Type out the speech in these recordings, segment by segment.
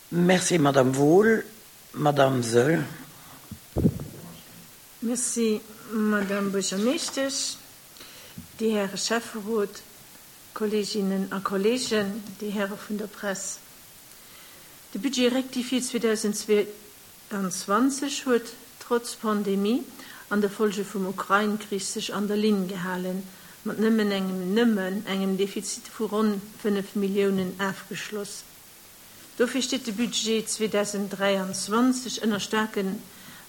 Merci, Madame Wohl. Madame Soll. Merci, Madame Buergermeeschtesch, déi Häre Schäfferot, Kolleeginnen a Kolleegen, déi Häre vun der Press. De Budget rectifié 2022 huet trotz Pandemie an de Folge vum Ukrain-Krich sech an der Linn gehalen, mat nëmmen engem nëmmen engem Defizit vu ronn 5 Milliounen afgeschloss. Dofir steet de Budget 2023 ënner staarken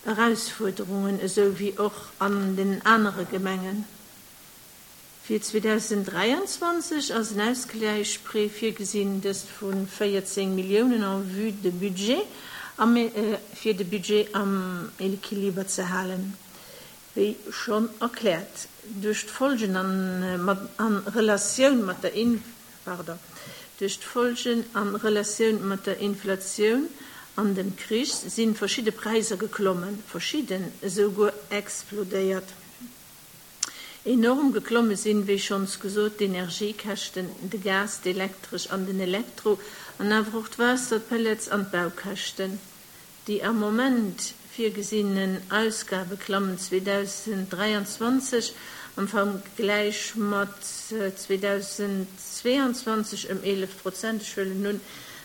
Erausfuerderungen, esou wéi och an den anere Gemengen. Fir 2023 ass en Ausgläichprêt virgesinn, dëst vu 14 Milliounen en vue de Budget am fir de Budget am Equiliber ze halen. Wéi schonn erkläert, duerch d'Folgen an Relatioun mat der pardon, duerch d'Folgen an Relatioun mat der Inflatioun an dem Krich sinn verschidde Präisser geklommen, verschidden esou guer explodéiert. Enorm geklomme sinn, wéi schonns gesot, d'Energiekäschten, de Gas, d'Elektresch an den Elektro an awer och d'Waasser, d'Pellets an d'Baukäschten. Déi am Moment virgesinnen Ausgabe klammen 2023 am Vergläich mat 2022 ëm 11 Prozent. Ech huelen un,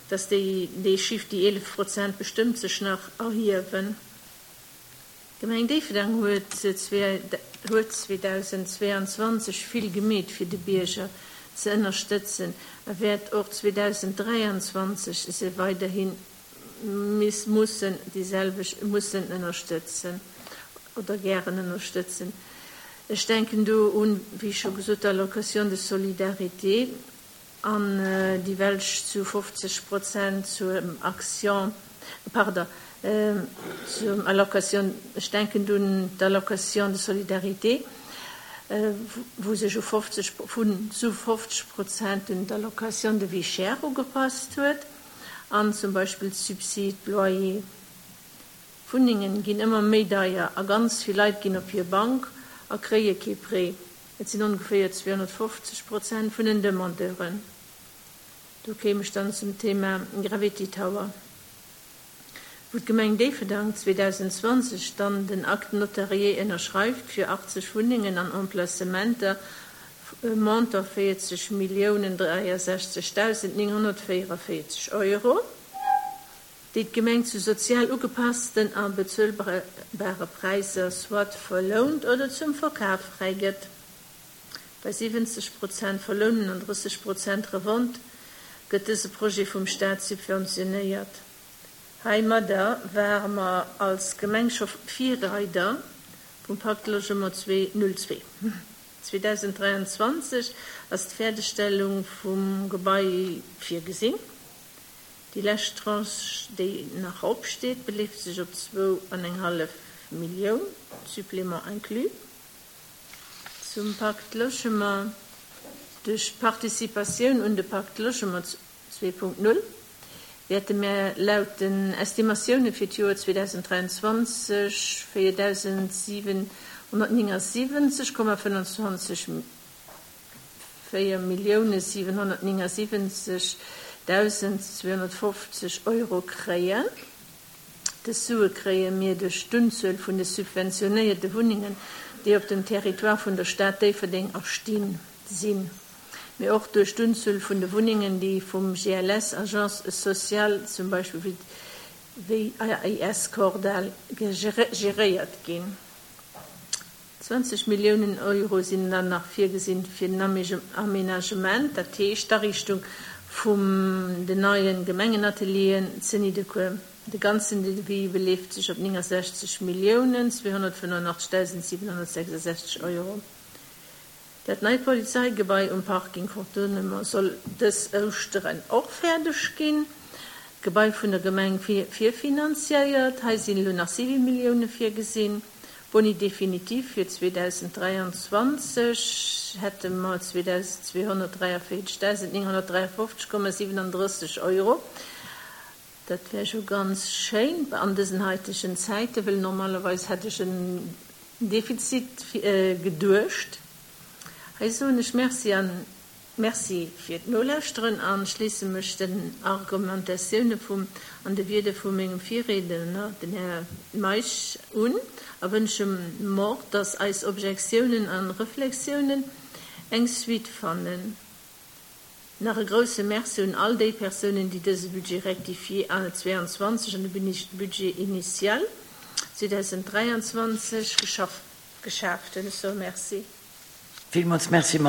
dass déi dee Chiffre, déi 11 Prozent, bestëmmt sech nach erhiewen. D'Gemeng Déifferdeng huet 2022 vill gemeet fir de Bierger ze ënnerstëtzen a wäert och 2023 se weiderhi mussen déi selwecht mussen ënnerstëtzen oder gären ënnerstëtzen. Ech denken do un, wéi scho gesot, d'Allocation de solidarité an déi welch zu 50 Prozent zur Action, pardon, zur Allocation, ech denken do un d'Allocation de solidarité, wou sech u 50, vun zu 50 Prozent un d'Allocation de vie chère ugepasst huet. An zum Beispill d'Subside loyer. Wunnengen ginn ëmmer méi deier a ganz vill Leit ginn op hir Bank a kréie kee Prêt. Et sinn ongeféier 250 Prozent vun den Demandeuren. Do kéim ech dann zum Thema Gravity Tower, wou d'Gemeng Déifferdang 2020 dann den Acte notarié ënnerschreift fir 80 Wunnengen an Emplacementer Montant 40 Milliounen 63.944 Euro, déi d'Gemeng zu sozial ugepassten a bezuelbare Präisser soit verlount oder zum Verkaf fräigëtt. Bei 70 Prozent Verlounen an 30 Prozent Revente gëtt dëse Projet vum Staat subventionéiert. Heimadder ware mer als Gemeng scho Virreider vum Pacte Logement 202. 2023 ass d'Fäerdegstellung vum Gebai virgesinn. Déi lescht Tranche, déi nach opsteet, beleeft sech op zwou an eng hallef Millioun, Supplément inclus. Zum Pacte Logement, Duerch d'Participatioun un de Pacte Logement 2.0 wäerte mär laut den Estimatioune fir d'Joer 2023 4.779,25, 4.779.250 Euro kréien. Dës Sue kréie mir duerch d'Unzuel vun de subventionéierte Wunnengen, déi op dem Territoire vun der Stad Déifferdeng erstinn sinn. mee och duerch d'Unzuel vun de Wunnengen, déi vum GLS, Agence sociale zum Beispill wéi AIS Kordall, geréiert ginn. 20 Milliounen Euro sinn dann nach virgesinn fir den Aménagement, dat heescht d'Ariichtung vum den neie Gemengenatelieren ze Nidderkuer. De ganzen Devis beleeft sech op 69 Milliounen 285.766 Euro. Dat neit Polizeigebai um Parking Contournement soll dës Ouschteren och fäerdeg ginn. D'Gebai vun der Gemeng virfinanziéiert. Hei sinn elo nach 7 Millioune virgesinn. Boni définitif fir 2023 hätte mer 2.243.953,37 Euro. Dat wär jo ganz schéin an dësen haitegen Zäiten, wëll normalerweis hätt ech en Defizit geduecht. Hei soen ech Merci an. Merci fir d'Nolauschteren an schléisse mech den Argumentatioune vum an de Wierder vu mengem Virriedner, den Här Meisch, un a wënsche mer, dass eis Objektiounen a Reflexiounen eng Suite fannen. Nach e grouse Merci un all déi Persounen, déi dëse Budget rectifié 22 an de Budget initial 2023 geschaaft hunn. Ech soe Merci. Villmools Merci.